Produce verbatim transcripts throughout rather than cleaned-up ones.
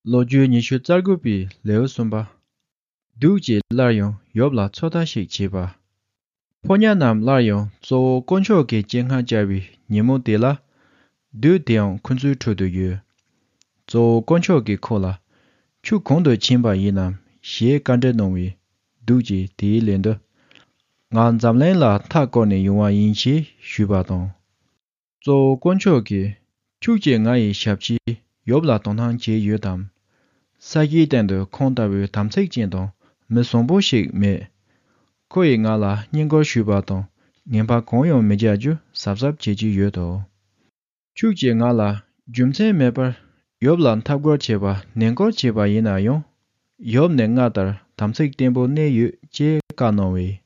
ལོ་རྒྱུས་ཉི་ཤུ་རྩ་དགུ་པའི་ལེའུ་གསུམ་པ། བདུད་ཀྱིས་སླར་ཡང་ཡོབ་ལ་ཚོད་ལྟ་ཞིག་བྱས་པ། ཕོ་ཉ་རྣམས་སླར་ཡང་གཙོ་བོ་དཀོན་མཆོག་གི་སྤྱན་སྔར་བཅར་བའི་ཉིན་མོ་དེ་ལ། བདུད་དེའང་ཁོ་ཚོའི་ཁྲོད་དུ་ཡོད། གཙོ་བོ་དཀོན་མཆོག་གིས་ཁོ་ལ། ཁྱོད་གང་དུ་ཕྱིན་པ་ཡིན་ནམ་ཞེས་བཀའ་འདྲི་གནང་བས། བདུད་ཀྱིས་དེའི་ལན་དུ། ང་འཛམ་གླིང་ལ་མཐའ་བསྐོར་ནས་ཡོང་བ་ཡིན་ཞེས་ཞུས་པ་དང་། གཙོ་བོ་དཀོན་མཆོག་གིས། ཁྱོད་ཀྱིས་ང་ཡི་ཞབས་ཕྱི་ཡོབ་ལ་དོ་སྣང་བྱས་ཡོད་དམ། ས་གཞིའི་སྟེང་དུ་ཁོང་ལྟ་བུའི་དམ་ཚིག་ཅན་དང་མི་བཟང་པོ་ཞིག་མེད། ཁོ་ཡིས་ང་ལ་བསྙེན་བཀུར་ཞུས་པ་དང་ངན་པ་གང་ཡང་མི་བྱ་རྒྱུ་གཟབ་གཟབ་བྱེད་ཀྱི་ཡོད་དོ། ཁྱོད་ཀྱིས་ང་ལ་རྒྱུ་མཚན་མེད་པར་ཡོབ་ལ་འཐབ་རྒོལ་བྱས་པ་ནན་སྐུལ་བྱས་པ་ཡིན་ན་ཡང་། ཡོབ་ནི་སྔར་ལྟར་དམ་ཚིག་བརྟན་པོ་གནས་ཡོད་ཅེས་བཀའ་གནང་བས།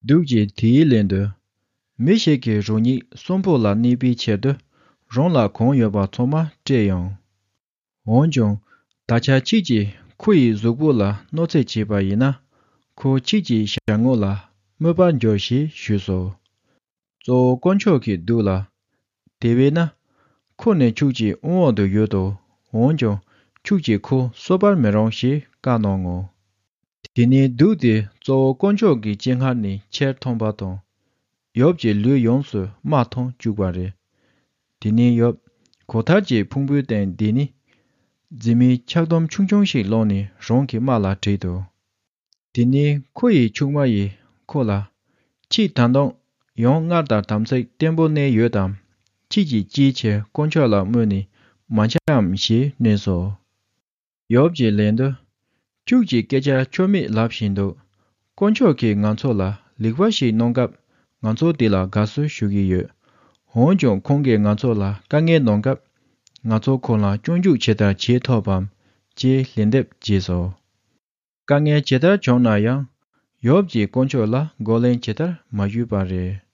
བདུད་ཀྱིས་དེའི་ལན་དུ། མི་ཞིག་གི་རང་ཉིད་གསོན་པོ་ལ་གནས་པའི་ཕྱིར་དུ་རང་ལ་གང་ཡོད་པ་ཚང་མ་སྤྲད་ཡང་། འོན་ཀྱང་ད་ཆ་ཁྱེད་ཀྱིས་ཁོ་ཡི་གཟུགས་པོ་ལ་གནོད་འཚེ་བྱས་པ་ཡིན་ན་ཁོ་ཁྱེད་ཀྱི་ཞལ་ངོ་ལ་དམོད་པར་འགྱུར་ཞེས་ཞུས་སོ། གཙོ་བོ་དཀོན་མཆོག་གིས་བདུད་ལ། དེ་བས་ན། ཁོ་ནི་ཁྱོད་ཀྱི་དབང་འོག་ཏུ་ཡོད་དོ། འོན་ཀྱང་ཁྱོད་ཀྱིས་ཁོ་གསོད་པར་མི་རུང་ཞེས་བཀའ་གནང་ངོ་། དེ་ནས་བདུད་དེ་གཙོ་བོ་དཀོན་མཆོག་གི་སྤྱན་སྔར་ནས་ཁྱེར་ཐོན་པ་དང་། ཡོབ་ཀྱི་ལུས་ཡོངས་སུ་རྨ་ཐོན་བཅུག་པ་རེད། དེ་ནས་ཡོབ་གོས་ཐར་གྱི་ཕུང་པོའི་སྟེང་བསྡད་ནས། རྫི་མའི་ཆག་དུམ་ཆུང་ཆུང་ཞིག་བླངས་ནས་རང་གི་རྨ་ལ་བྲིས་འདུག་དེ་ནས་ཁོ་ཡི་ཆུང་མ་ཡིས་ཁོ་ལ། ཁྱེད་ད་དུང་ཡང་སྔར་ལྟར་དམ་ཚིག་བརྟན་པོ་གནས་ཡོད་དམ། ཁྱེད་ཀྱིས་ཅིའི་ཕྱིར་དཀོན་མཆོག་ལ་དམོད་ནས་མ་འཆའམ་ཞེས་སྨྲས་སོ། ཡོབ་ཀྱི་ལན་དུ། ཁྱོད་ཀྱིས་སྐད་ཆ་ཆོ་མེད་ལབ་བཞིན་འདུག་དཀོན་མཆོག་གིས་ང་ཚོ་ལ་ལེགས་པ་ཞིག་གནང་སྐབས་ང་ཚོ་དེ་ལ་དགའ་བསུ་ཞུ་གི་ཡོད། འོན་ཀྱང་ཁོང་གིས་ང་ཚོ་ལ་དཀའ་ངལ་གནང་སྐབས་ང་ཚོ་ཁོང་ལ་སྐྱོན་འཛུགས་ཇི་ལྟར་བྱེད་ཐུབ་བམ་ཅེས་ལན་འདེབས་བྱས་སོ། དཀའ་ངལ་ཇི་ལྟར་བྱུང་ན་ཡང་ཡོབ་ཀྱིས་དཀོན་མཆོག་ལ་རྒོལ་ལན་ཇི་ལྟར་མ་ཞུས་པ་རེད།